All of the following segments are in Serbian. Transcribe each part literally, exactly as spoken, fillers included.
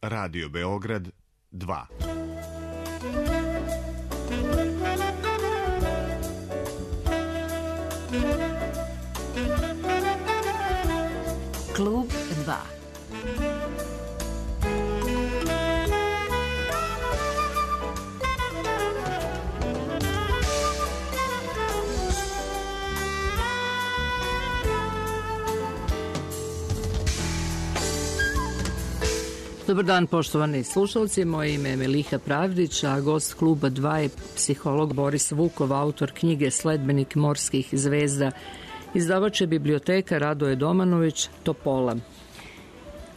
Radio Beograd dva. Klub dva. Dobar dan, poštovani slušalci, moje ime je Meliha Pravdić, a gost kluba dva je psiholog Boris Vukov, autor knjige Sledbenik morskih zvezda. Izdavač je biblioteka Radoje Domanović, Topola.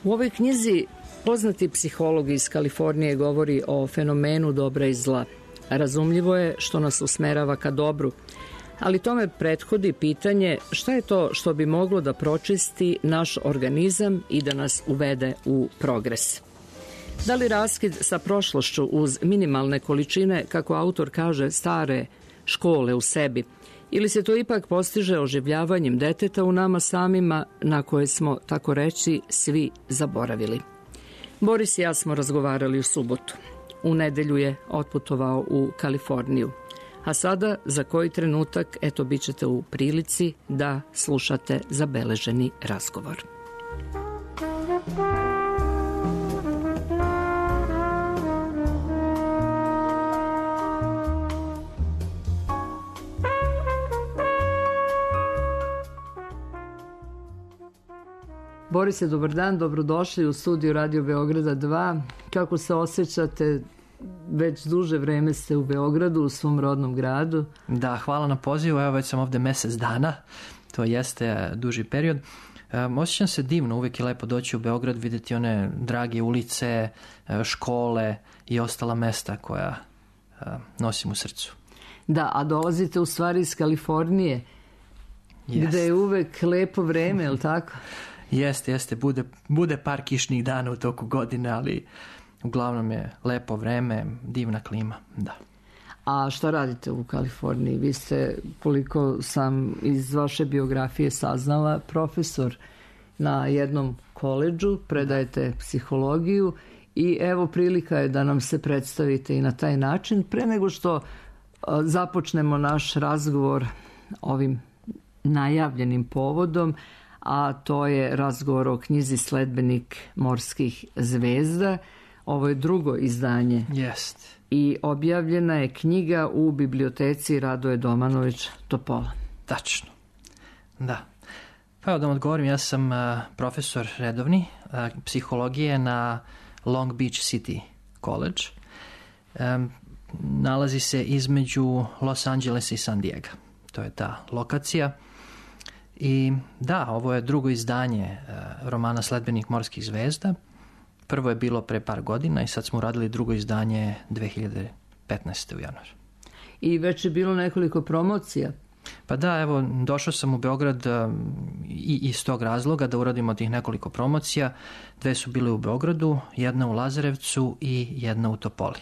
U ovoj knjizi poznati psiholog iz Kalifornije govori o fenomenu dobra i zla. Razumljivo je što nas usmerava ka dobru, ali tome prethodi pitanje šta je to što bi moglo da pročisti naš organizam i da nas uvede u progres. Da li raskid sa prošlošću uz minimalne količine, kako autor kaže, stare škole u sebi, ili se to ipak postiže oživljavanjem deteta u nama samima na koje smo, tako reći, svi zaboravili? Boris i ja smo razgovarali u subotu. U nedelju je otputovao u Kaliforniju. A sada, za koji trenutak, eto, bit ćete u prilici da slušate zabeleženi razgovor. Borise, dobar dan, dobrodošli u studiju Radio Beograda dva. Kako se osjećate? Već duže vreme ste u Beogradu, u svom rodnom gradu. Da, hvala na pozivu, evo već sam ovde mesec dana, to jeste duži period. Um, osjećam se divno, uvijek je lepo doći u Beograd, vidjeti one drage ulice, škole i ostala mesta koja uh, nosim u srcu. Da, a dolazite u stvari iz Kalifornije, yes. Gde je uvek lepo vreme, je li tako? Jeste, jeste, bude, bude par kišnih dana u toku godine, ali uglavnom je lepo vreme, divna klima, da. A šta radite u Kaliforniji? Vi ste, koliko sam iz vaše biografije saznala, profesor na jednom koledžu, predajete psihologiju i evo prilika je da nam se predstavite i na taj način. Pre nego što započnemo naš razgovor ovim najavljenim povodom, a to je razgovor o knjizi Sledbenik morskih zvezda. Ovo je drugo izdanje. Jeste. I objavljena je knjiga u biblioteci Radoje Domanović, Topola. Tačno. Da. Pa evo da vam odgovorim, ja sam uh, profesor redovni uh, psihologije na Long Beach City College. Um, nalazi se između Los Angelesa i San Diego. To je ta lokacija. I da, ovo je drugo izdanje uh, romana Sledbenik morskih zvezda. Prvo je bilo pre par godina i sad smo uradili drugo izdanje dve hiljade petnaeste. u januaru. I već je bilo nekoliko promocija. Pa da, evo, došao sam u Beograd um, i iz tog razloga da uradimo tih nekoliko promocija. Dve su bile u Beogradu, jedna u Lazarevcu i jedna u Topoli.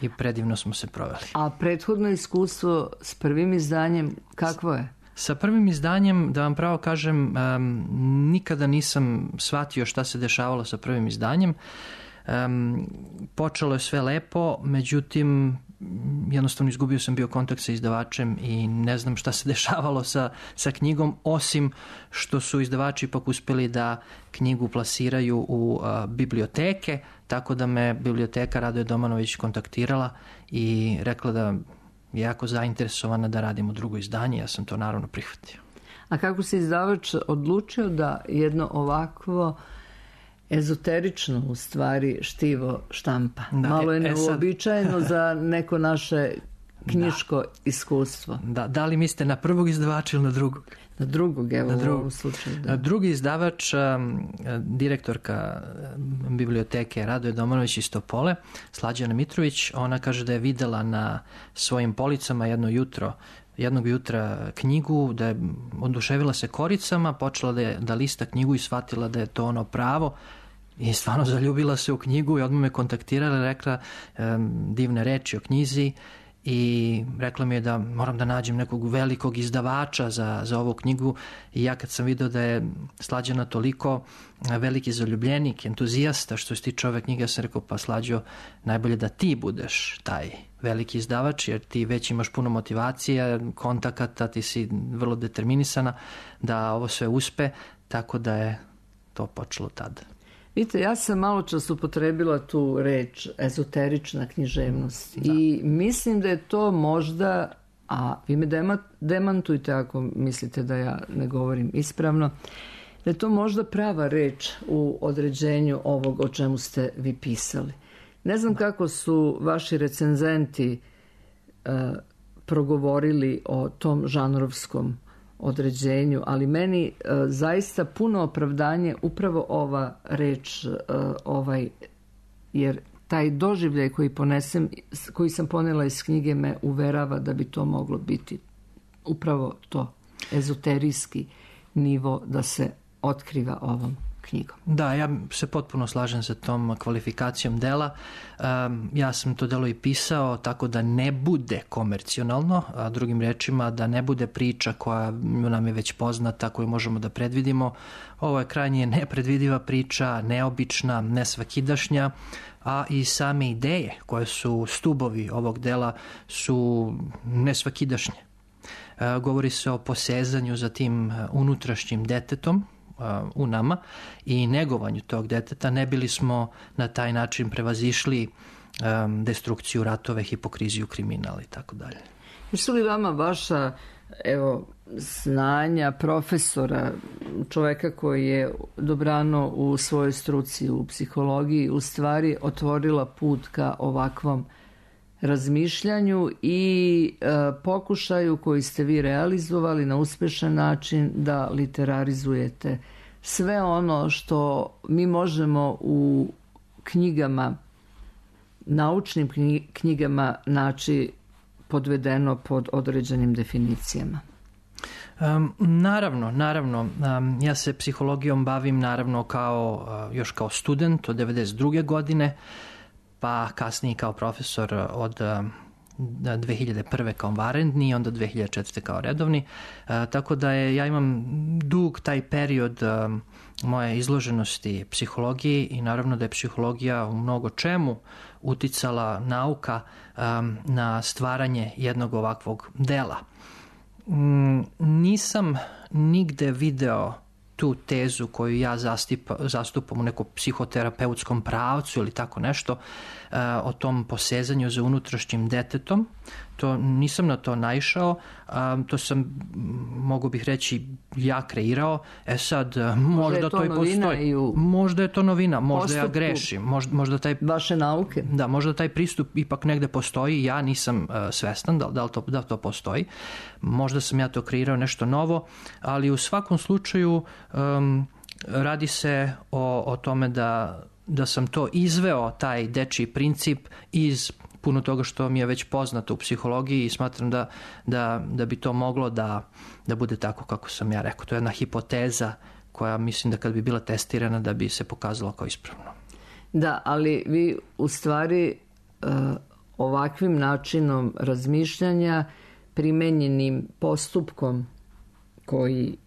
I predivno smo se proveli. A prethodno iskustvo s prvim izdanjem kakvo je? Sa prvim izdanjem, da vam pravo kažem, um, nikada nisam shvatio šta se dešavalo sa prvim izdanjem. Um, počelo je sve lepo, međutim, jednostavno izgubio sam bio kontakt sa izdavačem i ne znam šta se dešavalo sa, sa knjigom, osim što su izdavači ipak uspeli da knjigu plasiraju u uh, biblioteke, tako da me biblioteka Radoje Domanović kontaktirala i rekla da je jako zainteresovana da radimo drugo izdanje, ja sam to naravno prihvatio. A kako se izdavač odlučio da jedno ovakvo ezoterično u stvari štivo štampa? Da, Malo je neuobičajeno e, za neko naše knjiško da. iskustvo. Da, da li mislite na prvog izdavača ili na drugog? Na drugog, evo na drugog. u ovom slučaju. Da. Drugi izdavač, direktorka biblioteke Radoje Domanović iz Topole, Slađana Mitrović, ona kaže da je videla na svojim policama jedno jutro, jednog jutra knjigu, da je oduševila se koricama, počela da, je, da lista knjigu i shvatila da je to ono pravo i stvarno zaljubila se u knjigu i odmah me kontaktirala i rekla um, divne reči o knjizi i rekla mi je da moram da nađem nekog velikog izdavača za, za ovu knjigu i ja kad sam vidio da je Slađana toliko veliki zaljubljenik, entuzijasta što se tiče ove knjige, ja sam rekao pa Slađo, najbolje da ti budeš taj veliki izdavač jer ti već imaš puno motivacije, kontakata, ti si vrlo determinisana da ovo sve uspe, tako da je to počelo tada. Vidite, ja sam malo čas upotrebila tu reč ezoterična književnost da. I mislim da je to možda, a vi me demantujte ako mislite da ja ne govorim ispravno, da je to možda prava reč u određenju ovog o čemu ste vi pisali. Ne znam da. Kako su vaši recenzenti uh, progovorili o tom žanrovskom određenju, ali meni e, zaista puno opravdanje upravo ova reč, e, ovaj, jer taj doživljaj koji ponesem, koji sam ponela iz knjige me uverava da bi to moglo biti upravo to ezoterijski nivo da se otkriva ovom knjigom. Da, ja se potpuno slažem sa tom kvalifikacijom dela. Um, ja sam to delo i pisao tako da ne bude komercionalno, a drugim rečima da ne bude priča koja nam je već poznata, koju možemo da predvidimo. Ovo je krajnje nepredvidiva priča, neobična, nesvakidašnja, a i same ideje koje su stubovi ovog dela su nesvakidašnje. Uh, govori se o posezanju za tim unutrašnjim detetom u nama i negovanju tog deteta, ne bili smo na taj način prevazišli um, destrukciju, ratove, hipokriziju, kriminal i tako dalje. Jesu li vama vaša evo, znanja profesora, čoveka koji je dobrano u svojoj struci u psihologiji, u stvari otvorila put ka ovakvom razmišljanju i e, pokušaju koji ste vi realizovali na uspešan način da literarizujete sve ono što mi možemo u knjigama, naučnim knjigama naći podvedeno pod određenim definicijama? Um, naravno, naravno. Um, ja se psihologijom bavim naravno kao, uh, još kao student od devedeset druge godine, pa kasnije kao profesor od dve hiljade prve kao vanredni i onda dve hiljade četvrte kao redovni. E, tako da je, ja imam dug taj period um, moje izloženosti psihologiji i naravno da je psihologija u mnogo čemu uticala nauka um, na stvaranje jednog ovakvog dela. Mm, nisam nigde video tu tezu koju ja zastipa, zastupam u nekom psihoterapeutskom pravcu ili tako nešto, uh, o tom posezanju za unutrašnjim detetom. To nisam na to naišao, um, to sam, mogu bih reći, ja kreirao. E sad, možda to, to i postoji. I možda je to novina, možda ja grešim. Možda, možda taj, vaše nauke. Da, možda taj pristup ipak negde postoji, ja nisam uh, svestan da, da, to, da to postoji. Možda sam ja to kreirao nešto novo, ali u svakom slučaju um, radi se o, o tome da, da sam to izveo, taj dečiji princip iz puno toga što mi je već poznato u psihologiji i smatram da, da, da bi to moglo da, da bude tako kako sam ja rekao. To je jedna hipoteza koja mislim da kad bi bila testirana da bi se pokazala kao ispravno. Da, ali vi u stvari uh, ovakvim načinom razmišljanja, primenjenim postupkom koji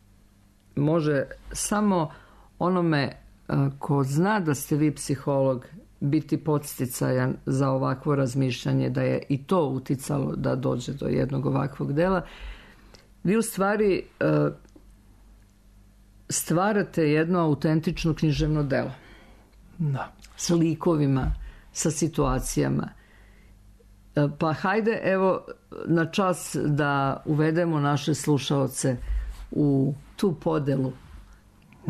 može samo onome uh, ko zna da ste vi psiholog biti podsticajan za ovakvo razmišljanje, da je i to uticalo da dođe do jednog ovakvog dela. Vi u stvari uh, stvarate jedno autentično književno delo. Da. Sa likovima, sa situacijama. Pa hajde, evo, na čas da uvedemo naše slušaoce u tu podelu,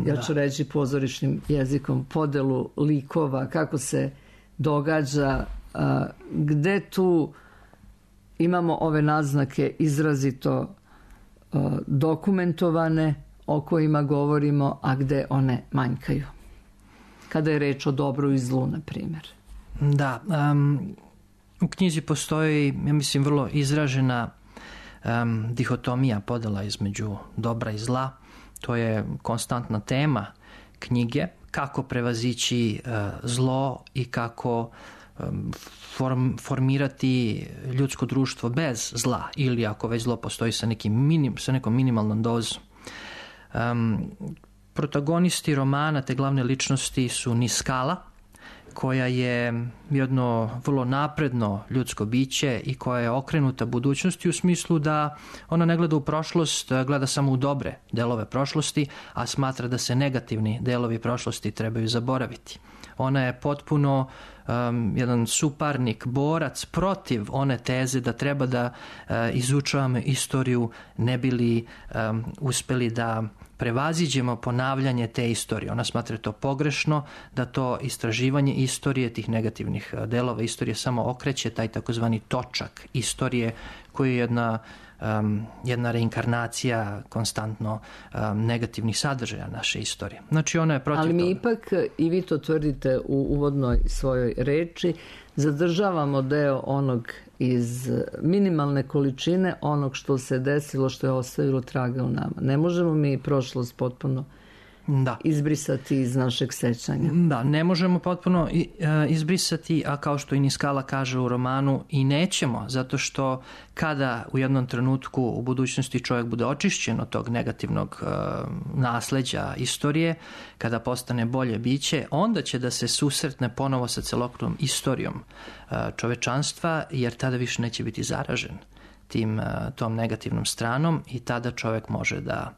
ja ću reći pozorišnim jezikom, podelu likova, kako se događa, gde tu imamo ove naznake izrazito dokumentovane, o kojima govorimo, a gde one manjkaju. Kada je reč o dobru i zlu, na primjer. Da, um, u knjizi postoji, ja mislim, vrlo izražena um, dihotomija, podela između dobra i zla. To je konstantna tema knjige, kako prevazići uh, zlo i kako form, formirati ljudsko društvo bez zla ili ako već zlo postoji sa, nekim minim, sa nekom minimalnom dozom. Um, protagonisti romana, te glavne ličnosti su Niskala, koja je jedno vrlo napredno ljudsko biće i koja je okrenuta budućnosti u smislu da ona ne gleda u prošlost, gleda samo u dobre delove prošlosti, a smatra da se negativni delovi prošlosti trebaju zaboraviti. Ona je potpuno um, jedan suparnik, borac protiv one teze da treba da uh, izučavamo istoriju ne bi li um, uspeli da prevaziđemo ponavljanje te istorije. Ona smatra to pogrešno, da to istraživanje istorije, tih negativnih delova istorije samo okreće taj takozvani točak istorije koji je jedna, um, jedna reinkarnacija konstantno um, negativnih sadržaja naše istorije. Znači ona je protiv Ali mi toga. ipak, i vi to tvrdite u uvodnoj svojoj reči, zadržavamo deo onog iz minimalne količine onog što se desilo, što je ostavilo traga u nama. Ne možemo mi prošlost potpuno da. izbrisati iz našeg sećanja. Da, ne možemo potpuno izbrisati, a kao što i Niskala kaže u romanu, i nećemo, zato što kada u jednom trenutku u budućnosti čovjek bude očišćen od tog negativnog uh, nasleđa istorije, kada postane bolje biće, onda će da se susretne ponovo sa celokupnom istorijom uh, čovečanstva, jer tada više neće biti zaražen tim, uh, tom negativnom stranom i tada čovjek može da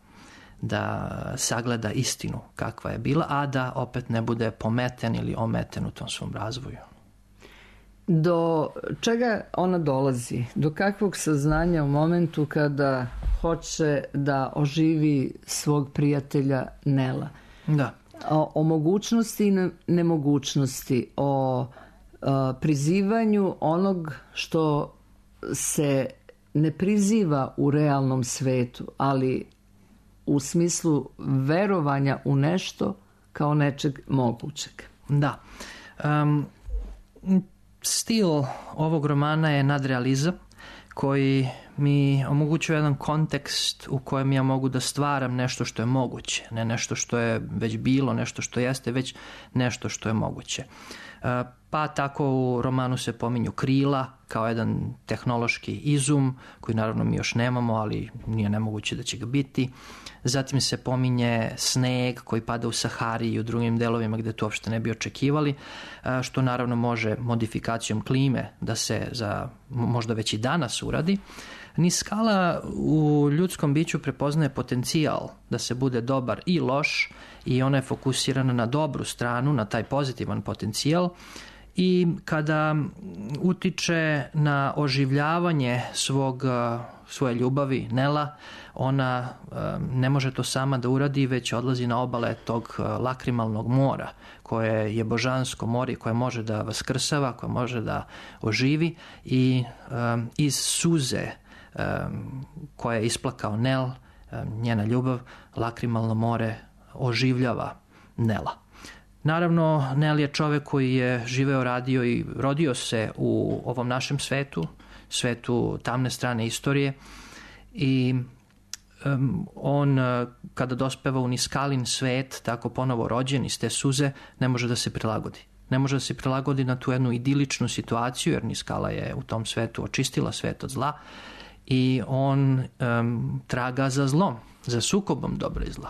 da sagleda istinu kakva je bila, a da opet ne bude pometen ili ometen u tom svom razvoju. Do čega ona dolazi? Do kakvog saznanja u momentu kada hoće da oživi svog prijatelja Nela? Da. O, o mogućnosti i nemogućnosti, o a, prizivanju onog što se ne priziva u realnom svetu, ali u smislu verovanja u nešto kao nečeg mogućeg. Da. Um, stil ovog romana je nadrealizam koji mi omogućuje jedan kontekst u kojem ja mogu da stvaram nešto što je moguće. Ne nešto što je već bilo, nešto što jeste, već nešto što je moguće. Pa tako u romanu se pominju krila kao jedan tehnološki izum koji naravno mi još nemamo, ali nije nemoguće da će ga biti. Zatim se pominje sneg koji pada u Sahari i u drugim delovima gde to uopšte ne bi očekivali, što naravno može modifikacijom klime da se za možda već i danas uradi. Niskala u ljudskom biću prepoznaje potencijal da se bude dobar i loš i ona je fokusirana na dobru stranu, na taj pozitivan potencijal i kada utiče na oživljavanje svog, svoje ljubavi Nela, ona ne može to sama da uradi, već odlazi na obale tog lakrimalnog mora koje je božansko more, koje može da vaskrsava, koje može da oživi i iz suze koja je isplakao Nel, njena ljubav, lakrimalno more oživljava Nela. Naravno, Nel je čovek koji je živeo, radio i rodio se u ovom našem svetu, svetu tamne strane istorije i um, on kada dospeva u Niskalin svet, tako ponovo rođen iz te suze, ne može da se prilagodi. Ne može da se prilagodi na tu jednu idiličnu situaciju, jer Niskala je u tom svetu očistila svet od zla i on um, traga za zlom, za sukobom dobra i zla.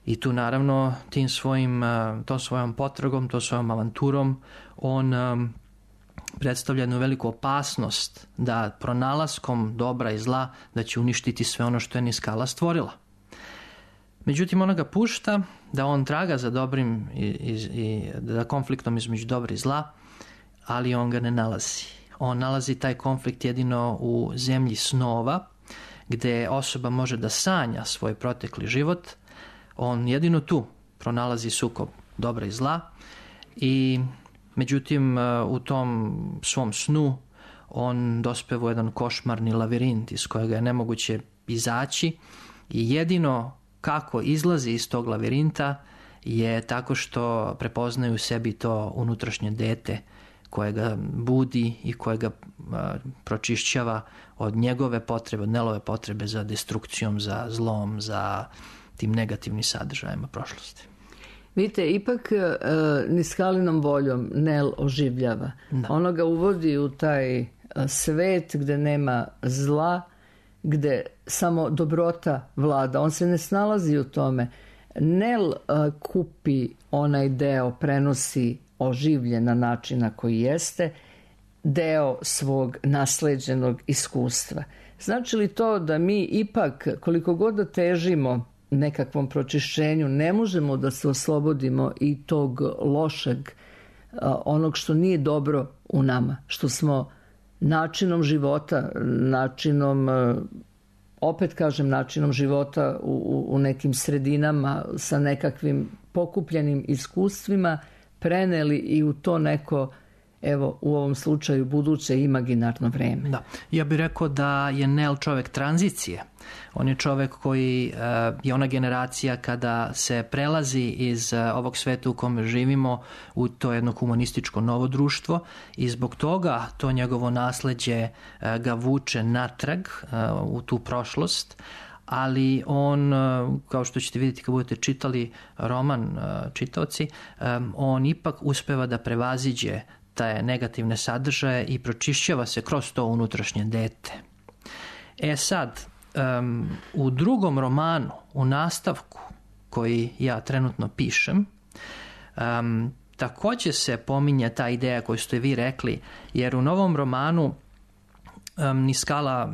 I tu naravno tim svojim, tom svojom potragom, tom svojom avanturom on um, predstavlja jednu veliku opasnost da pronalaskom dobra i zla da će uništiti sve ono što je Niskala stvorila. Međutim, ona ga pušta da on traga za dobrim i, i, i da konfliktom između dobra i zla, ali on ga ne nalazi. On nalazi taj konflikt jedino u zemlji snova, gde osoba može da sanja svoj protekli život. On jedino tu pronalazi sukob dobra i zla i međutim u tom svom snu on dospeva u jedan košmarni lavirint iz kojega je nemoguće izaći i jedino kako izlazi iz tog lavirinta je tako što prepoznaje u sebi to unutrašnje dete koje ga budi i koje ga a, pročišćava od njegove potrebe, od Nelove potrebe za destrukcijom, za zlom, za tim negativnim sadržajima prošlosti. Vidite, ipak uh, Niskalinom voljom Nel oživljava. Da. Ono ga uvodi u taj uh, svet gde nema zla, gde samo dobrota vlada. On se ne snalazi u tome. Nel uh, kupi onaj deo, prenosi oživljen na način na koji jeste, deo svog nasleđenog iskustva. Znači li to da mi ipak, koliko god da težimo nekakvom pročišćenju, ne možemo da se oslobodimo i tog lošeg, onog što nije dobro u nama, što smo načinom života, načinom, opet kažem, načinom života u, u nekim sredinama sa nekakvim pokupljenim iskustvima preneli i u to neko, evo u ovom slučaju, buduće imaginarno vreme. Da. Ja bih rekao da je Nel čovek tranzicije. On je čovek koji je ona generacija kada se prelazi iz ovog sveta u kome živimo u to jedno humanističko novo društvo i zbog toga to njegovo nasleđe ga vuče natrag u tu prošlost, ali on, kao što ćete vidjeti kad budete čitali roman čitaoci, on ipak uspeva da prevaziđe te negativne sadržaje i pročišćava se kroz to unutrašnje dete. E sad, um, u drugom romanu, u nastavku koji ja trenutno pišem, um, takođe se pominje ta ideja koju ste vi rekli, jer u novom romanu um, Niskala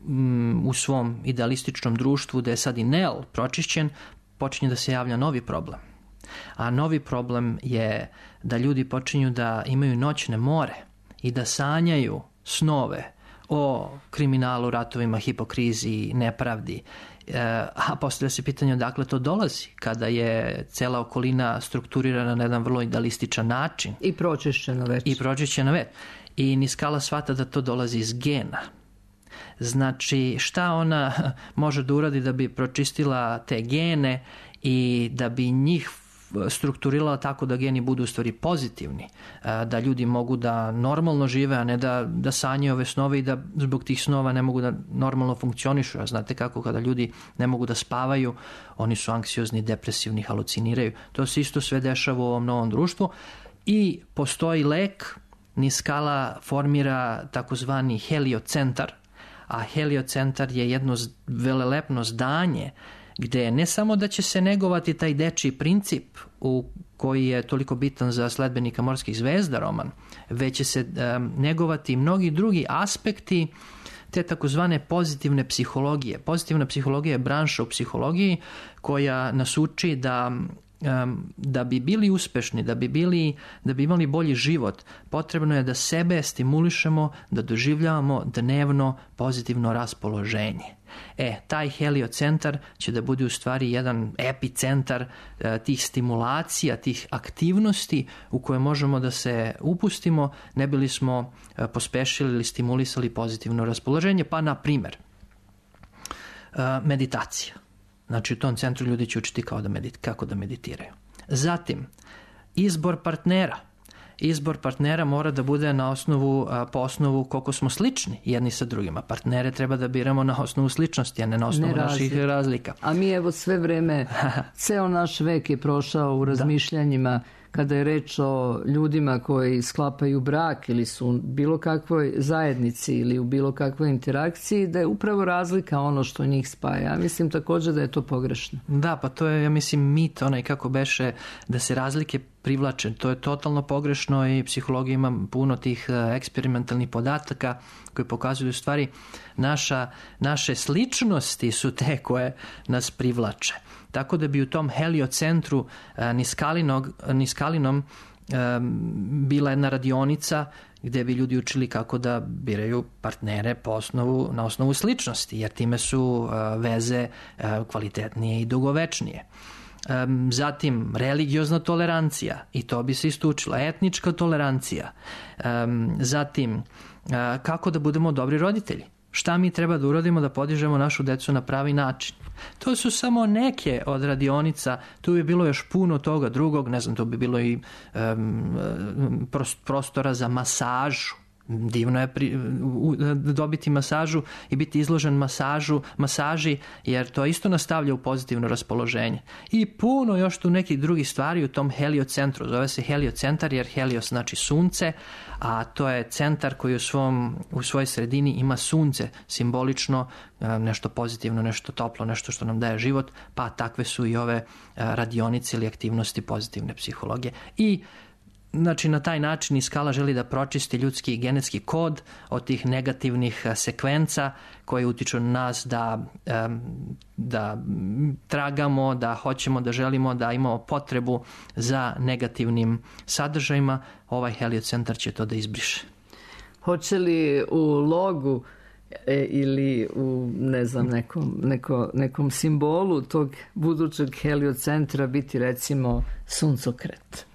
um, u svom idealističnom društvu, gde je sad i Nel pročišćen, počinje da se javlja novi problem. A novi problem je da ljudi počinju da imaju noćne more i da sanjaju snove o kriminalu, ratovima, hipokriziji, nepravdi. E, a postavlja se pitanje odakle to dolazi, kada je cela okolina strukturirana na jedan vrlo idealističan način. I pročišćena već. I pročišćena već. I Niskala shvata da to dolazi iz gena. Znači, šta ona može da uradi da bi pročistila te gene i da bi njih strukturirala tako da geni budu u stvari pozitivni, da ljudi mogu da normalno žive, a ne da, da sanjaju ove snove i da zbog tih snova ne mogu da normalno funkcionišu. A znate kako, kada ljudi ne mogu da spavaju, oni su anksiozni, depresivni, haluciniraju. To se isto sve dešava u ovom novom društvu i postoji lek. Niskala formira takozvani heliocentar, a heliocentar je jedno velelepno zdanje gde ne samo da će se negovati taj dečiji princip u koji je toliko bitan za sledbenika Morskih zvezda roman, već će se um, negovati mnogi drugi aspekti te takozvane pozitivne psihologije. Pozitivna psihologija je branša u psihologiji koja nas uči da da bi bili uspešni, da bi bili, da bi imali bolji život, potrebno je da sebe stimulišemo, da doživljavamo dnevno pozitivno raspoloženje. E, taj heliocentar će da bude u stvari jedan epicentar e, tih stimulacija, tih aktivnosti u koje možemo da se upustimo, ne bili smo e, pospešili ili stimulisali pozitivno raspoloženje, pa na primer e, meditacija. Znači, u tom centru ljudi će učiti kao da medit, kako da meditiraju. Zatim, izbor partnera. Izbor partnera mora da bude na osnovu, po osnovu koliko smo slični jedni sa drugima. Partnere treba da biramo na osnovu sličnosti, a ne na osnovu ne naših razlika. A mi evo sve vreme, ceo naš vek je prošao u razmišljanjima da. Kada je reč o ljudima koji sklapaju brak ili su u bilo kakvoj zajednici ili u bilo kakvoj interakciji, da je upravo razlika ono što njih spaja. Ja mislim također da je to pogrešno. Da, pa to je, ja mislim, mit onaj kako beše da se razlike privlače. To je totalno pogrešno i psihologija ima puno tih eksperimentalnih podataka koji pokazuju u stvari naša, naše sličnosti su te koje nas privlače. Tako da bi u tom heliocentru Niskalinom bila jedna radionica gde bi ljudi učili kako da biraju partnere po osnovu, na osnovu sličnosti, jer time su veze kvalitetnije i dugovečnije. Zatim, religiozna tolerancija, i to bi se isto učila, etnička tolerancija. Zatim, kako da budemo dobri roditelji. Šta mi treba da uradimo da podižemo našu decu na pravi način. To su samo neke od radionica, tu bi bilo još puno toga drugog, ne znam, to bi bilo i um, prostora za masažu, divno je pri, u, dobiti masažu i biti izložen masažu, masaži, jer to isto nastavlja u pozitivno raspoloženje. I puno još tu nekih drugih stvari u tom heliocentru. Zove se heliocentar jer helios znači sunce, a to je centar koji u, svom, u svojoj sredini ima sunce, simbolično nešto pozitivno, nešto toplo, nešto što nam daje život, pa takve su i ove radionice ili aktivnosti pozitivne psihologije. I znači, na taj način i skala želi da pročisti ljudski genetski kod od tih negativnih sekvenca koje utiču na nas da, da tragamo, da hoćemo, da želimo, da imamo potrebu za negativnim sadržajima. Ovaj heliocentar će to da izbriše. Hoće li u logu e, ili u, ne znam, nekom, neko, nekom simbolu tog budućeg heliocentra biti, recimo, suncokret?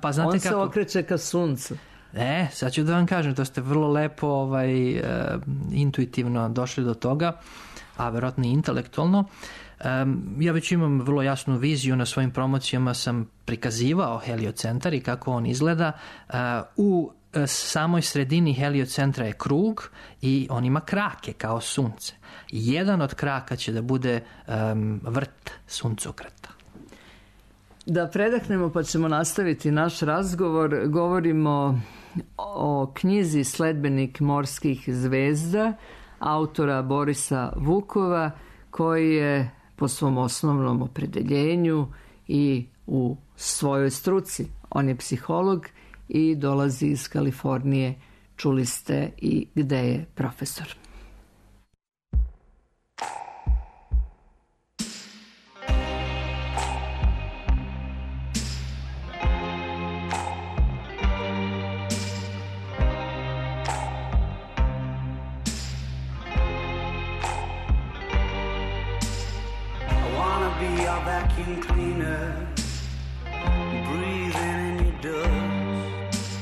Pa znate On se kako... okreće ka suncu. E, sad ću da vam kažem, to ste vrlo lepo ovaj, e, intuitivno došli do toga, a verovatno i intelektualno. E, ja već imam vrlo jasnu viziju, na svojim promocijama sam prikazivao heliocentar i kako on izgleda. E, u samoj sredini heliocentra je krug i on ima krake kao sunce. Jedan od kraka će da bude um, vrt suncokreta. Da predahnemo pa ćemo nastaviti naš razgovor. Govorimo o knjizi Sledbenik morskih zvezda autora Borisa Vukova, koji je po svom osnovnom opredeljenju i u svojoj struci. On je psiholog i dolazi iz Kalifornije. Čuli ste i gde je profesor. Vacuum cleaner, breathing in your dust.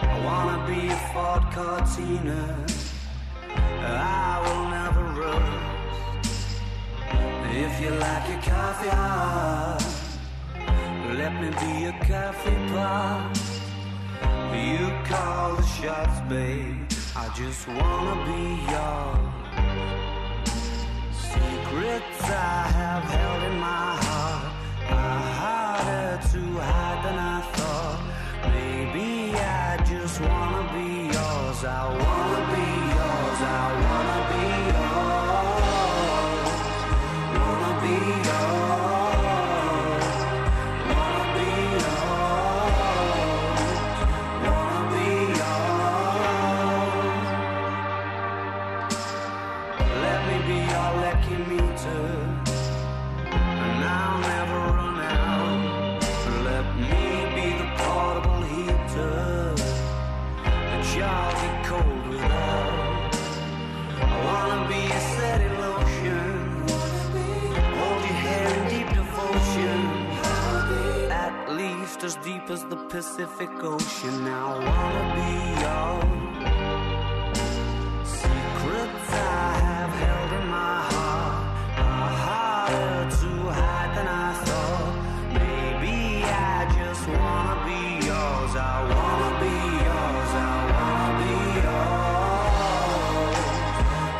I wanna be a Ford Cortina, I will never rust. If you like your coffee hot, let me be a coffee pot. You call the shots, babe, I just wanna be yours. Secrets I have held in my heart are harder to hide than I thought. Maybe I just wanna be yours. I wanna be yours. I wanna be yours. Wanna be yours. Wanna be yours. Wanna be yours. Let me be your lucky meter, and I'll never run out. Let me be the portable heater that y'all get cold without. I wanna be a steady lotion, hold your hair in deep devotion, at least as deep as the Pacific Ocean. Now I wanna be yours. Secrets I have held in my heart are harder to hide than I thought. Maybe I just wanna be yours. I wanna be yours. I wanna be yours.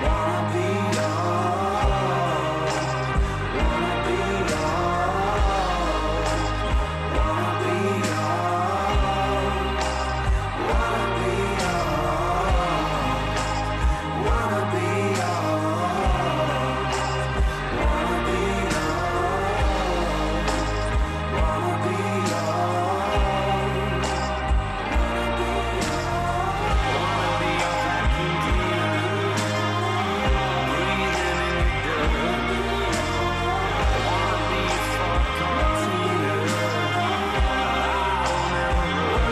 Wanna be yours. Wanna be yours. Wanna be yours. Wanna be yours. Wanna be yours. Wanna be yours. Wanna be yours. Wanna be your vacuum cleaner, breathing in your dirt. Wanna be a Ford Cortina, I'll never rust. I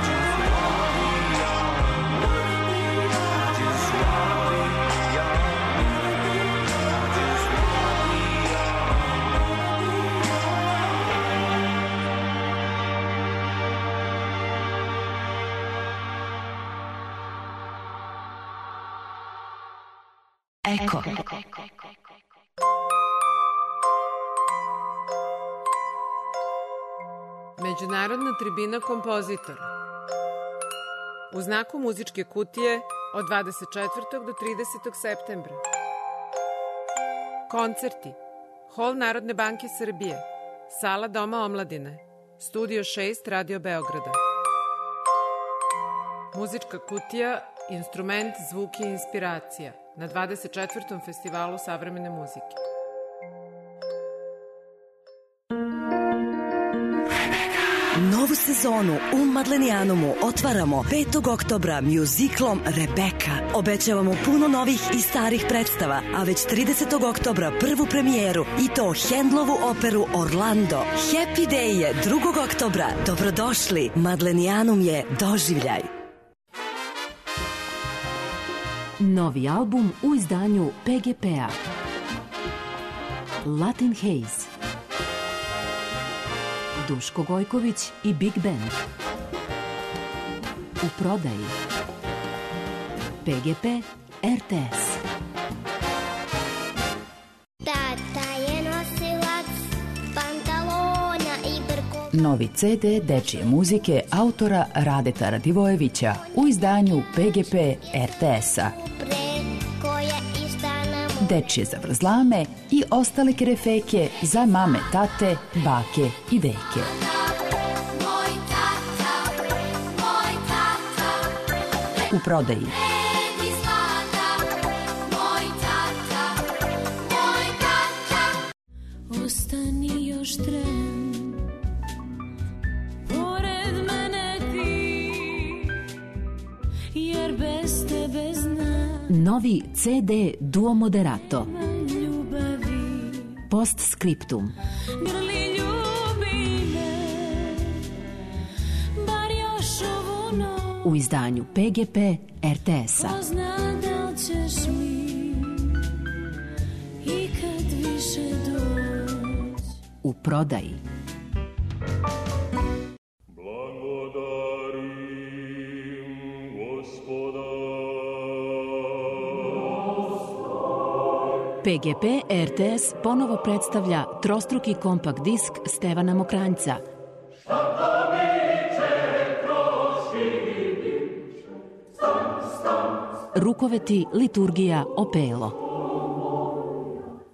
just wanna be yours. I just wanna be yours. I just wanna be Eko. Međunarodna tribina kompozitora. u znaku muzičke kutije od dvadeset četvrtog do tridesetog septembra. Koncerti: Hol Narodne banke Srbije, Sala Doma omladine, Studio šest Radio Beograda. Muzička kutija, instrument, zvuk i inspiracija na dvadeset četvrtom festivalu savremene muzike. Novu sezonu u Madlenijanumu otvaramo petog oktobra mjuziklom Rebeka. Obećavamo puno novih i starih predstava, a već tridesetog oktobra prvu premijeru i to Hendlovu operu Orlando. Happy Day je drugog oktobra. Dobrodošli, Madlenijanum je doživljaj. Novi album u izdanju P G P-a. Latin Haze. Duško Gojković i Big Band. U prodaji. P G P R T S. Tata je nosilac pantalona i brko. Novi C D dečije muzike autora Radeta Radivojevića u izdanju P G P R T S-a. Dečije zavrzlame i ostale kerefeke za mame, tate, bake i deke. U prodaji. Ostani još tren, pored mene ti, jer bez tebe znam. Novi C D Duo Moderato. Postscriptum. Grli ljubi me, bar još ovu noć. U izdanju P G P R T S-a. Ko zna da li ćeš mi ikad više doći. U prodaji. P G P R T S ponovo predstavlja trostruki kompakt disk Stevana Mokranjca. Rukoveti, liturgija, opelo.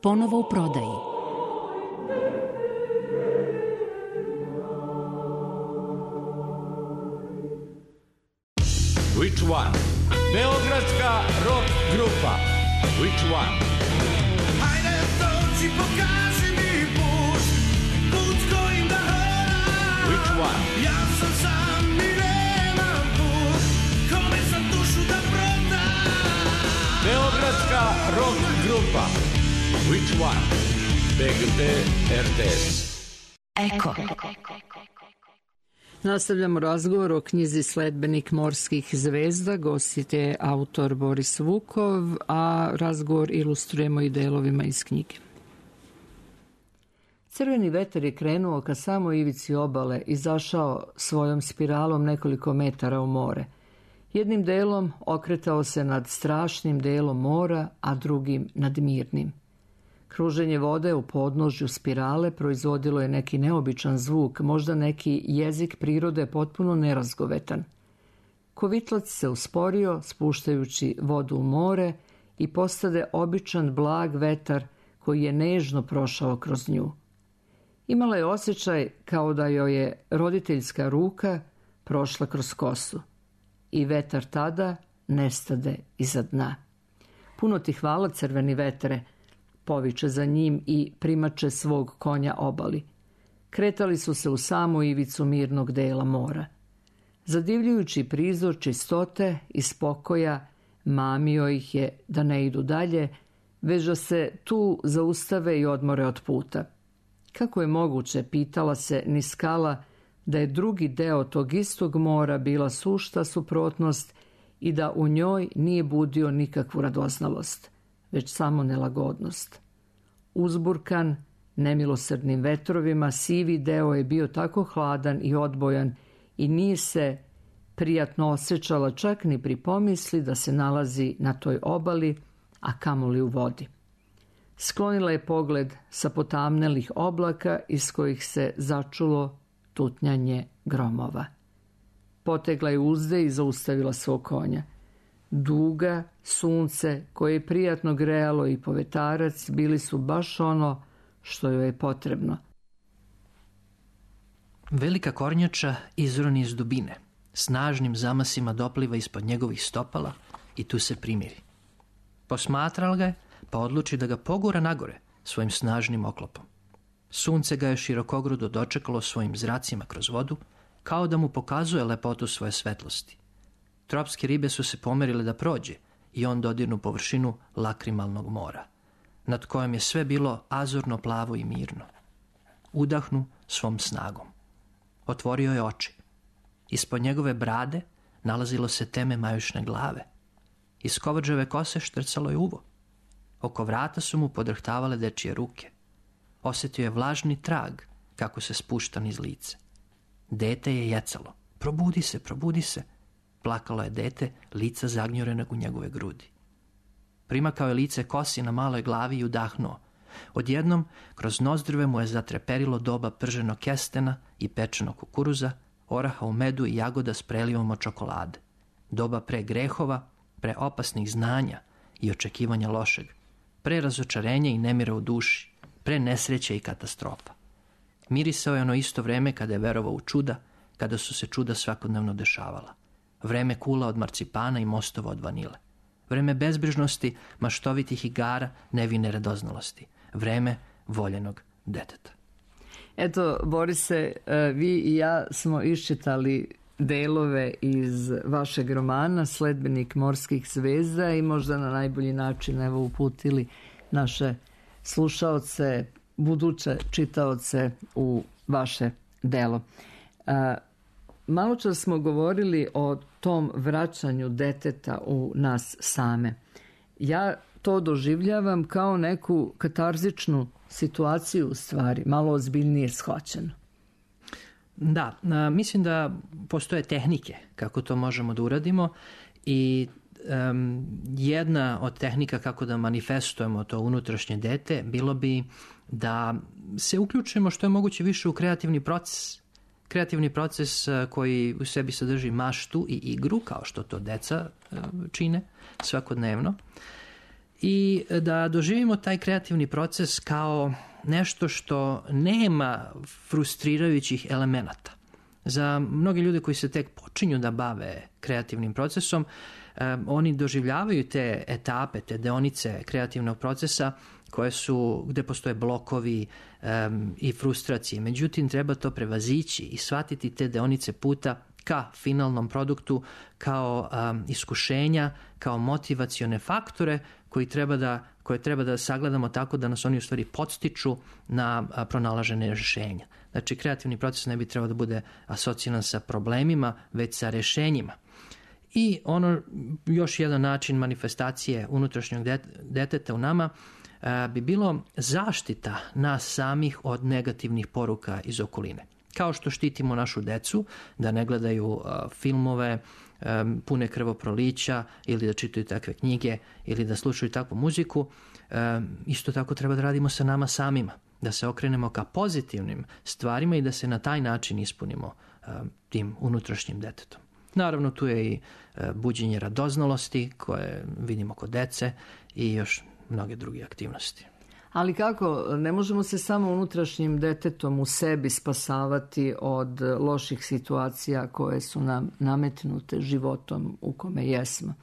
Ponovo u prodaji. Which one? Beogradska rock grupa. Which one? Hajde dođi, pokaži mi put, put kojim da hodam. Which one? Ja sam sam i nemam put, kome sam dušu da prodam. Beogradska rock grupa. Which one? P G P R T S. Eko. Nastavljamo razgovor o knjizi Sledbenik morskih zvezda. Gost je autor Boris Vukov, a razgovor ilustrujemo i delovima iz knjige. Crveni vetar je krenuo ka samo ivici obale i zašao svojom spiralom nekoliko metara u more. Jednim delom okretao se nad strašnim delom mora, a drugim nad mirnim. Kruženje vode u podnožju spirale proizvodilo je neki neobičan zvuk, možda neki jezik prirode potpuno nerazgovetan. Kovitlac se usporio, spuštajući vodu u more, i postade običan blag vetar koji je nežno prošao kroz nju. Imala je osjećaj kao da joj je roditeljska ruka prošla kroz kosu. I vetar tada nestade iza dna. Puno ti hvala, crveni vetre, poviče za njim i primače svog konja obali. Kretali su se u samu ivicu mirnog dela mora. Zadivljujući prizor čistote i spokoja mamio ih je da ne idu dalje, već da se tu zaustave i odmore od puta. Kako je moguće, pitala se Niskala, da je drugi deo tog istog mora bila sušta suprotnost i da u njoj nije budio nikakvu radoznalost, već samo nelagodnost. Uzburkan nemilosrdnim vetrovima, sivi deo je bio tako hladan i odbojan i nije se prijatno osjećala čak ni pri pomisli da se nalazi na toj obali, a kamoli u vodi. Sklonila je pogled sa potamnelih oblaka iz kojih se začulo tutnjanje gromova. Potegla je uzde i zaustavila svog konja. Duga, sunce, koje je prijatno grejalo i povetarac bili su baš ono što joj je potrebno. Velika kornjača izroni iz dubine, snažnim zamasima dopliva ispod njegovih stopala i tu se primiri. Posmatrala ga je, pa odluči da ga pogura nagore svojim snažnim oklopom. Sunce ga je širokogrudo dočekalo svojim zracima kroz vodu, kao da mu pokazuje lepotu svoje svetlosti. Tropske ribe su se pomerile da prođe i on dodirnu površinu lakrimalnog mora, nad kojom je sve bilo azurno, plavo i mirno. Udahnu svom snagom. Otvorio je oči. Ispod njegove brade nalazilo se teme majušne glave. Iz kovađave kose štrcalo je uvo. Oko vrata su mu podrhtavale dečije ruke. Osjetio je vlažni trag kako se spušta niz lice. Dete je jecalo. Probudi se, probudi se. Plakalo je dete, lica zagnjurenog u njegove grudi. Primakao je lice kosi na maloj glavi i udahnuo. Odjednom, kroz nozdrve mu je zatreperilo doba prženog kestena i pečenog kukuruza, oraha u medu i jagoda s prelivom od čokolade. Doba pre grehova, pre opasnih znanja i očekivanja lošeg, pre razočarenja i nemira u duši, pre nesreće i katastrofa. Mirisao je ono isto vreme kada je verovao u čuda, kada su se čuda svakodnevno dešavala. Vreme kula od marcipana i mostova od vanile. Vreme bezbrižnosti, maštovitih igara, nevine radoznalosti. Vreme voljenog deteta. Eto, Borise, vi i ja smo iščitali delove iz vašeg romana Sledbenik morskih zvezda i možda na najbolji način evo uputili naše slušaoce, buduće čitaoce u vaše delo. Malo čas smo govorili o tom vraćanju deteta u nas same. Ja to doživljavam kao neku katarzičnu situaciju u stvari, malo ozbiljnije shvaćeno. Da, a, mislim da postoje tehnike kako to možemo da uradimo i um, jedna od tehnika kako da manifestujemo to unutrašnje dete bilo bi da se uključimo što je moguće više u kreativni proces. Kreativni proces koji u sebi sadrži maštu i igru, kao što to deca čine svakodnevno. I da doživimo taj kreativni proces kao nešto što nema frustrirajućih elemenata. Za mnogi ljude koji se tek počinju da bave kreativnim procesom, oni doživljavaju te etape, te deonice kreativnog procesa koje su, gde postoje blokovi um, i frustracije. Međutim, treba to prevazići i shvatiti te deonice puta ka finalnom produktu, kao um, iskušenja, kao motivacione faktore koji treba da, koje treba da sagledamo tako da nas oni u stvari podstiču na a, pronalaženje rješenja. Znači, kreativni proces ne bi trebao da bude asociran sa problemima, već sa rješenjima. I ono, još jedan način manifestacije unutrašnjeg deteta u nama bi bilo zaštita nas samih od negativnih poruka iz okoline. Kao što štitimo našu decu da ne gledaju uh, filmove um, pune krvoprolića ili da čitaju takve knjige ili da slušaju takvu muziku, um, isto tako treba da radimo sa nama samima, da se okrenemo ka pozitivnim stvarima i da se na taj način ispunimo um, tim unutrašnjim detetom. Naravno, tu je i uh, buđenje radoznalosti koje vidimo kod dece i još mnoge druge aktivnosti. Ali kako, ne možemo se samo unutrašnjim detetom u sebi spasavati od loših situacija koje su nam nametnute životom u kome jesmo.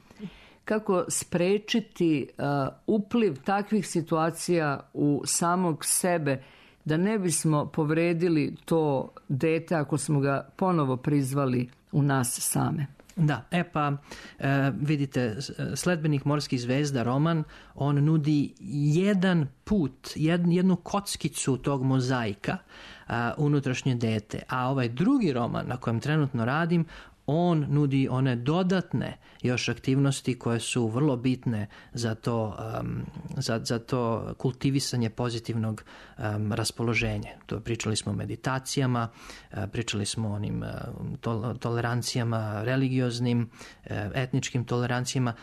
Kako sprečiti uh, upliv takvih situacija u samog sebe da ne bismo povredili to dete ako smo ga ponovo prizvali u nas same? Da, e pa e, vidite, Sledbenik morskih zvezda, roman, on nudi jedan put, jed, jednu kockicu tog mozaika a, unutrašnje dete, a ovaj drugi roman na kojem trenutno radim, on nudi one dodatne još aktivnosti koje su vrlo bitne za to, um, za, za to kultivisanje pozitivnog um, raspoloženja. To pričali smo o meditacijama, uh, pričali smo o onim uh, tol- tolerancijama religioznim, uh, etničkim tolerancijama.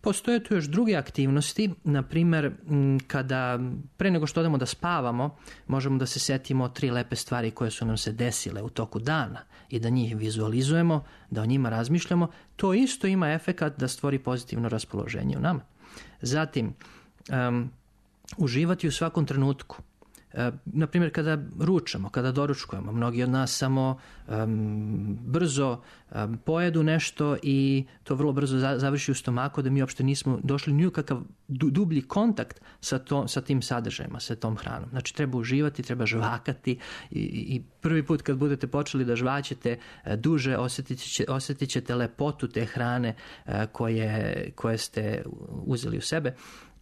Postoje tu još druge aktivnosti, na primjer kada pre nego što odemo da spavamo, možemo da se setimo tri lepe stvari koje su nam se desile u toku dana i da njih vizualizujemo, da o njima razmišljamo. To isto ima efekat da stvori pozitivno raspoloženje u nama. Zatim, um, uživati u svakom trenutku. Na primjer, kada ručamo, kada doručkujemo, mnogi od nas samo um, brzo um, pojedu nešto i to vrlo brzo za, završi u stomaku, da mi uopšte nismo došli ni u kakav du, dublji kontakt sa, to, sa tim sadržajima, sa tom hranom. Znači, treba uživati, treba žvakati i, i prvi put kad budete počeli da žvaćete duže, osjetit, će, osjetit ćete lepotu te hrane uh, koje, koje ste uzeli u sebe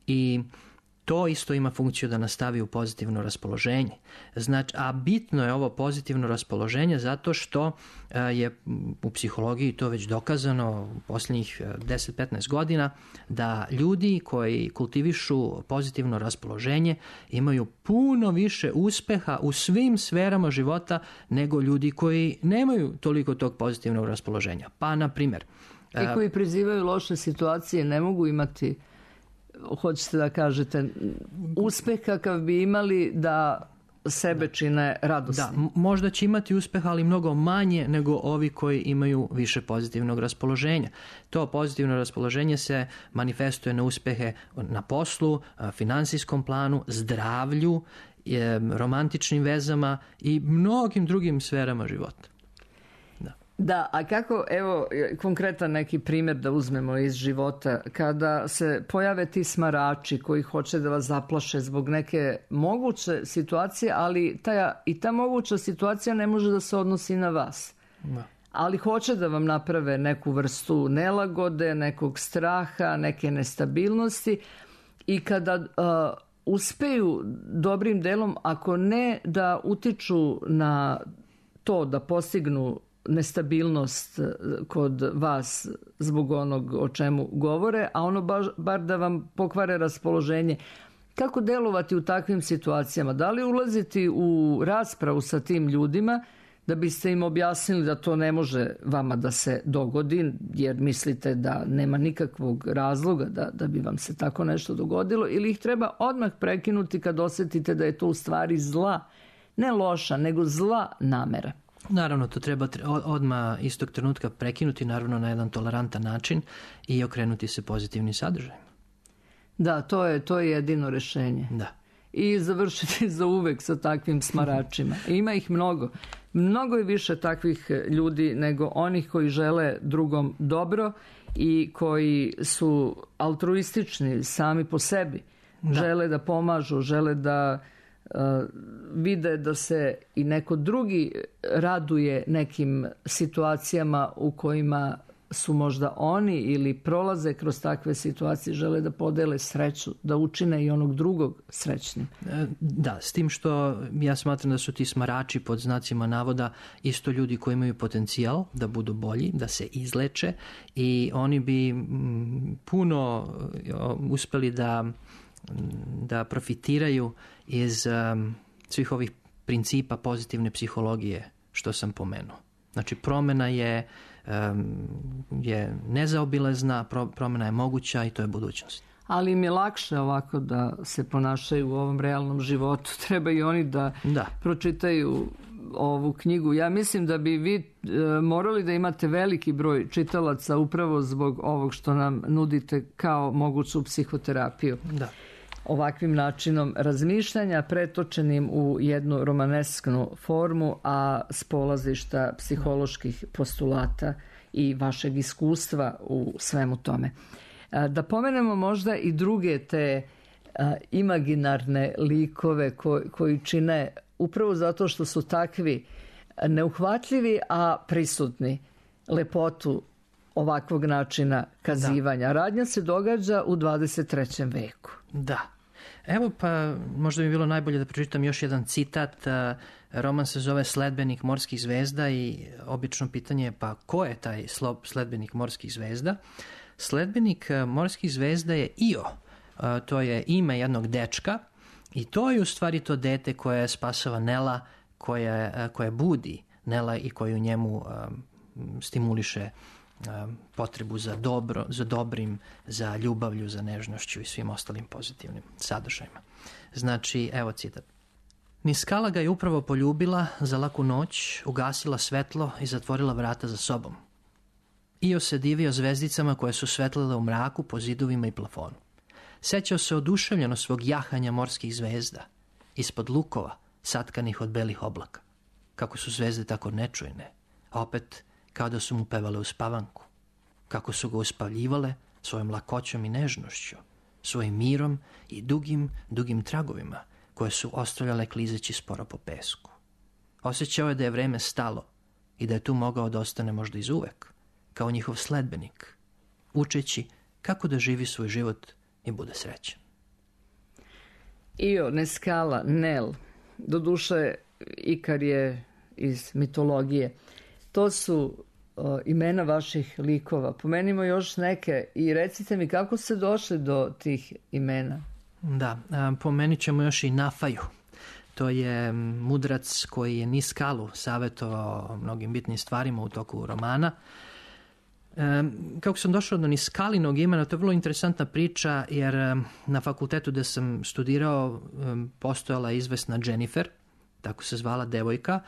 i to isto ima funkciju da nastavi u pozitivno raspoloženje. Znači, a bitno je ovo pozitivno raspoloženje zato što je u psihologiji to već dokazano u posljednjih deset do petnaest godina da ljudi koji kultivišu pozitivno raspoloženje imaju puno više uspeha u svim sferama života nego ljudi koji nemaju toliko tog pozitivnog raspoloženja. Pa, na primjer... I koji prizivaju loše situacije ne mogu imati, hoćete da kažete, uspeh kakav bi imali da sebe čine radosni. Da, možda će imati uspeh, ali mnogo manje nego ovi koji imaju više pozitivnog raspoloženja. To pozitivno raspoloženje se manifestuje na uspehe na poslu, finansijskom planu, zdravlju, romantičnim vezama i mnogim drugim sferama života. Da, a kako, evo, konkretan neki primjer da uzmemo iz života, kada se pojave ti smarači koji hoće da vas zaplaše zbog neke moguće situacije, ali ta, i ta moguća situacija ne može da se odnosi na vas. Da. Ali hoće da vam naprave neku vrstu nelagode, nekog straha, neke nestabilnosti i kada uh, uspeju dobrim delom, ako ne da utiču na to da postignu nestabilnost kod vas zbog onog o čemu govore, a ono baš, bar da vam pokvare raspoloženje. Kako delovati u takvim situacijama? Da li ulaziti u raspravu sa tim ljudima da biste im objasnili da to ne može vama da se dogodi, jer mislite da nema nikakvog razloga da, da bi vam se tako nešto dogodilo, ili ih treba odmah prekinuti kad osjetite da je to u stvari zla, ne loša, nego zla namera? Naravno, to treba odmah istog trenutka prekinuti, naravno na jedan tolerantan način i okrenuti se pozitivnim sadržajima. Da, to je, to je jedino rešenje. Da. I završiti za uvek sa takvim smaračima. Ima ih mnogo. Mnogo je više takvih ljudi nego onih koji žele drugom dobro i koji su altruistični sami po sebi. Da. Žele da pomažu, žele da uh, vide da se i neko drugi raduje nekim situacijama u kojima su možda oni ili prolaze kroz takve situacije, žele da podele sreću, da učine i onog drugog srećnim. Da, s tim što ja smatram da su ti smarači pod znacima navoda isto ljudi koji imaju potencijal da budu bolji, da se izleče i oni bi puno uspeli da, da profitiraju iz um, svih ovih principa pozitivne psihologije što sam pomenuo. Znači, promjena je je nezaobilazna, promjena je moguća i to je budućnost. Ali im je lakše ovako da se ponašaju u ovom realnom životu. Treba i oni da, da. pročitaju ovu knjigu. Ja mislim da bi vi e, morali da imate veliki broj čitalaca upravo zbog ovog što nam nudite kao moguću psihoterapiju. Da. Ovakvim načinom razmišljanja pretočenim u jednu romanesknu formu, a s polazišta psiholoških postulata i vašeg iskustva u svemu tome. Da pomenemo možda i druge te imaginarne likove koji, koji čine upravo zato što su takvi neuhvatljivi, a prisutni lepotu ovakvog načina kazivanja. Da. Radnja se događa u dvadeset trećem veku. Da. Evo pa možda bi bilo najbolje da pročitam još jedan citat. Roman se zove Sledbenik morskih zvezda i obično pitanje je pa ko je taj sledbenik morskih zvezda? Sledbenik morskih zvezda je Io. To je ime jednog dečka i to je u stvari to dete koje spasava Nela, koje, koje budi Nela i koju njemu stimuliše potrebu za dobro, za dobrim, za ljubavlju, za nežnošću i svim ostalim pozitivnim sadržajima. Znači, evo citat. Niskala ga je upravo poljubila za laku noć, ugasila svetlo i zatvorila vrata za sobom. Io se divio zvezdicama koje su svetlile u mraku po zidovima i plafonu. Sećao se oduševljeno svog jahanja morskih zvezda, ispod lukova, satkanih od belih oblaka. Kako su zvezde tako nečujne, a opet kao da su mu pevale u spavanku. Kako su ga uspavljivale svojom lakoćom i nežnošću, svojim mirom i dugim, dugim tragovima koje su ostavljale klizeći sporo po pesku. Osjećao je da je vreme stalo i da je tu mogao da ostane možda izuvek, kao njihov sledbenik, učeći kako da živi svoj život i bude srećan. Io, Neskala, Nel, doduše Ikar je iz mitologije. To su o, imena vaših likova. Pomenimo još neke i recite mi kako ste došli do tih imena. Da, a, pomenit ćemo još i Nafaju. To je mudrac koji je Niskalu savjetovao o mnogim bitnim stvarima u toku romana. E, kako sam došao do Niskalinog imena, to je vrlo interesantna priča, jer e, na fakultetu gde sam studirao e, postojala je izvesna Jennifer, tako se zvala devojka.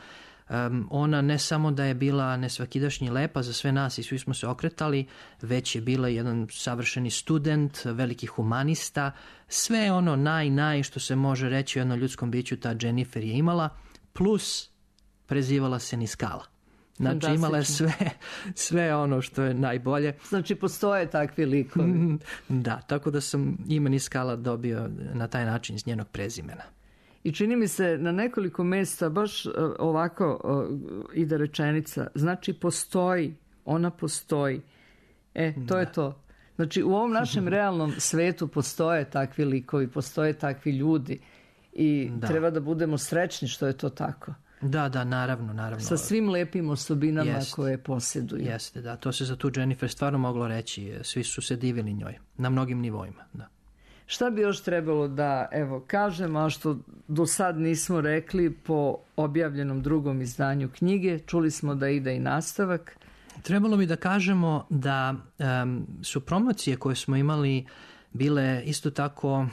Um, ona ne samo da je bila nesvakidašnji lepa za sve nas i svi smo se okretali, već je bila jedan savršeni student, veliki humanista, sve ono naj, naj što se može reći o jednom ljudskom biću ta Jennifer je imala, plus prezivala se Niskala. Znači imala je sve, sve ono što je najbolje. Znači postoje takvi likovi. Da, tako da sam ime Niskala dobio na taj način iz njenog prezimena. I čini mi se na nekoliko mjesta baš ovako ide rečenica. Znači postoji, ona postoji. E, to da. je to. Znači u ovom našem realnom svetu postoje takvi likovi, postoje takvi ljudi i da. treba da budemo srećni što je to tako. Da, da, naravno, naravno. Sa svim lepim osobinama Jest. koje posjeduju. Jeste, da. To se za tu Jennifer stvarno moglo reći. Svi su se divili njoj. Na mnogim nivoima, da. Šta bi još trebalo da, evo, kažem, a što do sad nismo rekli po objavljenom drugom izdanju knjige, čuli smo da ide i nastavak. Trebalo bi da kažemo da um, su promocije koje smo imali bile isto tako um,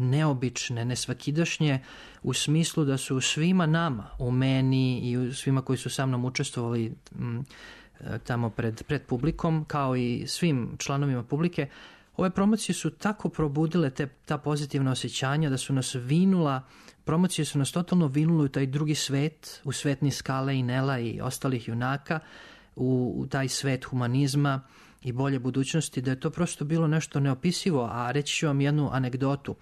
neobične, nesvakidašnje, u smislu da su svima nama, u meni i u svima koji su sa mnom učestvovali um, tamo pred, pred publikom, kao i svim članovima publike, ove promocije su tako probudile te, ta pozitivna osjećanja da su nas vinula, promocije su nas totalno vinule u taj drugi svet, u svet Niskale i Nela i ostalih junaka, u, u taj svet humanizma i bolje budućnosti, da je to prosto bilo nešto neopisivo. A reći ću vam jednu anegdotu.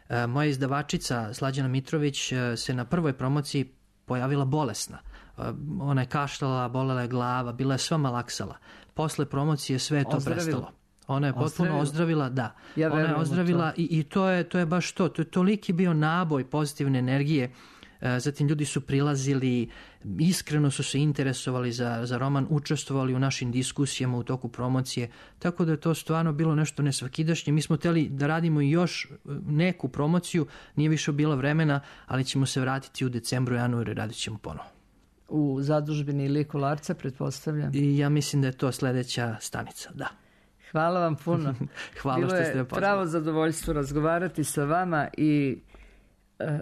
E, moja izdavačica Slađana Mitrović e, se na prvoj promociji pojavila bolesna. E, ona je kašljala, bolela je glava, bila je sva malaksala. Posle promocije sve je to Ozdravila. prestalo. Ona je potpuno Ozdravila. ozdravila, da. Ja Ona je ozdravila to. i, i to, je, to je baš to. To je toliki bio naboj pozitivne energije. E, zatim ljudi su prilazili, iskreno su se interesovali za, za roman, učestvovali u našim diskusijama u toku promocije, tako da je to stvarno bilo nešto nesvakidašnje. Mi smo htjeli da radimo još neku promociju, nije više bilo vremena, ali ćemo se vratiti u decembru, januaru i radit ćemo ponovo. U zadužbini ili Kolarca, pretpostavljam. I ja mislim da je to sljedeća stanica, da. Hvala vam puno. Hvala Bilo što ste me je pozvali. pravo zadovoljstvo razgovarati sa vama i e,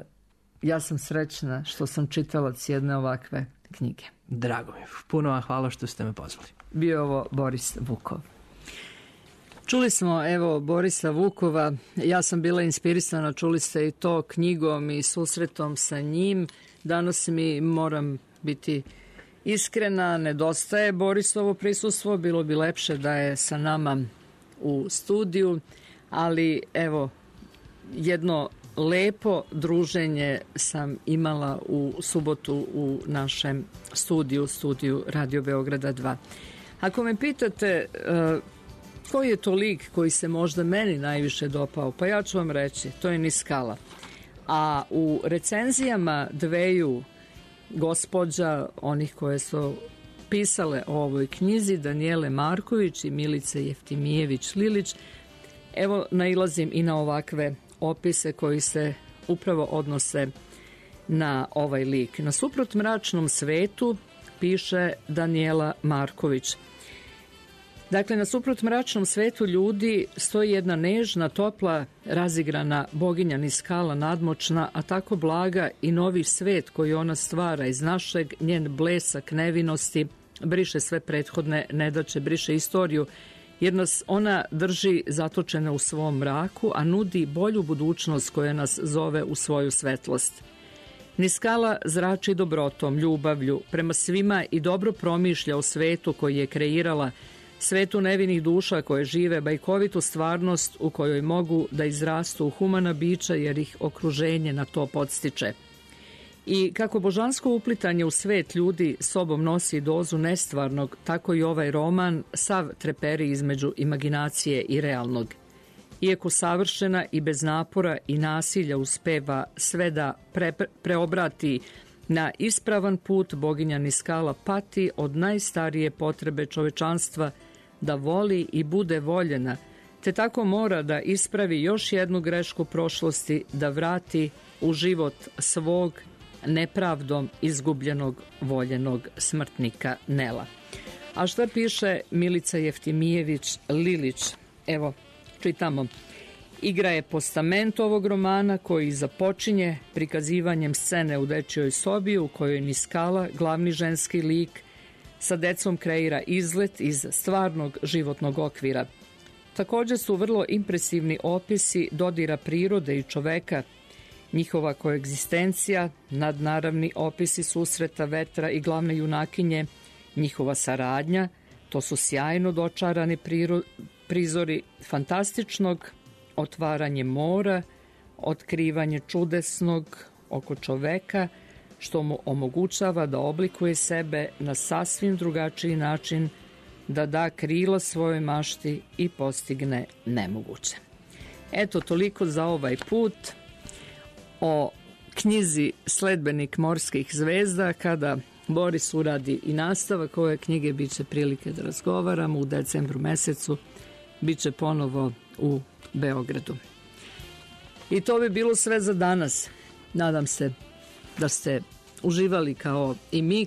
ja sam srećna što sam čitalac jedne ovakve knjige. Drago mi. Puno vam hvala što ste me pozvali. Bio ovo Boris Vukov. Čuli smo, evo, Borisa Vukova. Ja sam bila inspirisana, čuli ste i to, knjigom i susretom sa njim. Danas mi, moram biti iskrena, nedostaje Borisovo prisustvo. Bilo bi lepše da je sa nama u studiju, ali evo, jedno lepo druženje sam imala u subotu u našem studiju, studiju Radio Beograda dva. Ako me pitate uh, koji je to lik koji se možda meni najviše dopao, pa ja ću vam reći, to je Niskala. A u recenzijama dveju gospođa, onih koje su pisale o ovoj knjizi, Danijele Marković i Milice Jeftimijević-Lilić, evo nailazim i na ovakve opise koji se upravo odnose na ovaj lik. Na suprot mračnom svetu, piše Danijela Marković, Dakle, nasuprot mračnom svetu ljudi stoji jedna nežna, topla, razigrana boginja Niskala, nadmoćna, a tako blaga i novi svet koji ona stvara iz našeg, njen blesak nevinosti, briše sve prethodne nedaće, briše istoriju, jer nas ona drži zatočene u svom mraku, a nudi bolju budućnost koja nas zove u svoju svetlost. Niskala zrači dobrotom, ljubavlju, prema svima i dobro promišlja o svetu koji je kreirala, svetu nevinih duša koje žive bajkovitu stvarnost u kojoj mogu da izrastu u humana bića jer ih okruženje na to podstiče. I kako božansko uplitanje u svet ljudi sobom nosi dozu nestvarnog, tako i ovaj roman sav treperi između imaginacije i realnog. Iako savršena i bez napora i nasilja uspeva sve da pre, preobrati na ispravan put, boginja Niskala pati od najstarije potrebe čovečanstva da voli i bude voljena, te tako mora da ispravi još jednu grešku prošlosti, da vrati u život svog nepravdom izgubljenog voljenog smrtnika Nela. A šta piše Milica Jeftimijević Lilić? Evo, čitamo. Igra je postament ovog romana koji započinje prikazivanjem scene u dečjoj sobi u kojoj Niskala, glavni ženski lik, sa decom kreira izlet iz stvarnog životnog okvira. Također su vrlo impresivni opisi dodira prirode i čoveka, njihova koegzistencija, nadnaravni opisi susreta vetra i glavne junakinje, njihova saradnja, to su sjajno dočarani priro, prizori fantastičnog otvaranje mora, otkrivanje čudesnog oko čoveka, što mu omogućava da oblikuje sebe na sasvim drugačiji način, da da krila svojoj mašti i postigne nemoguće. Eto, toliko za ovaj put o knjizi Sledbenik morskih zvezda. Kada Boris uradi i nastavak ove knjige, bit će prilike da razgovaramo u decembru mesecu, bit će ponovo u Beogradu. I to bi bilo sve za danas. Nadam se da ste uživali kao i mi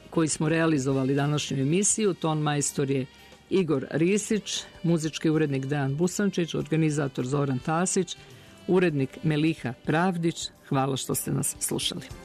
koji smo realizovali današnju emisiju. Ton majstor je Igor Risić, muzički urednik Dejan Busančić, organizator Zoran Tasić, urednik Meliha Pravdić. Hvala što ste nas slušali.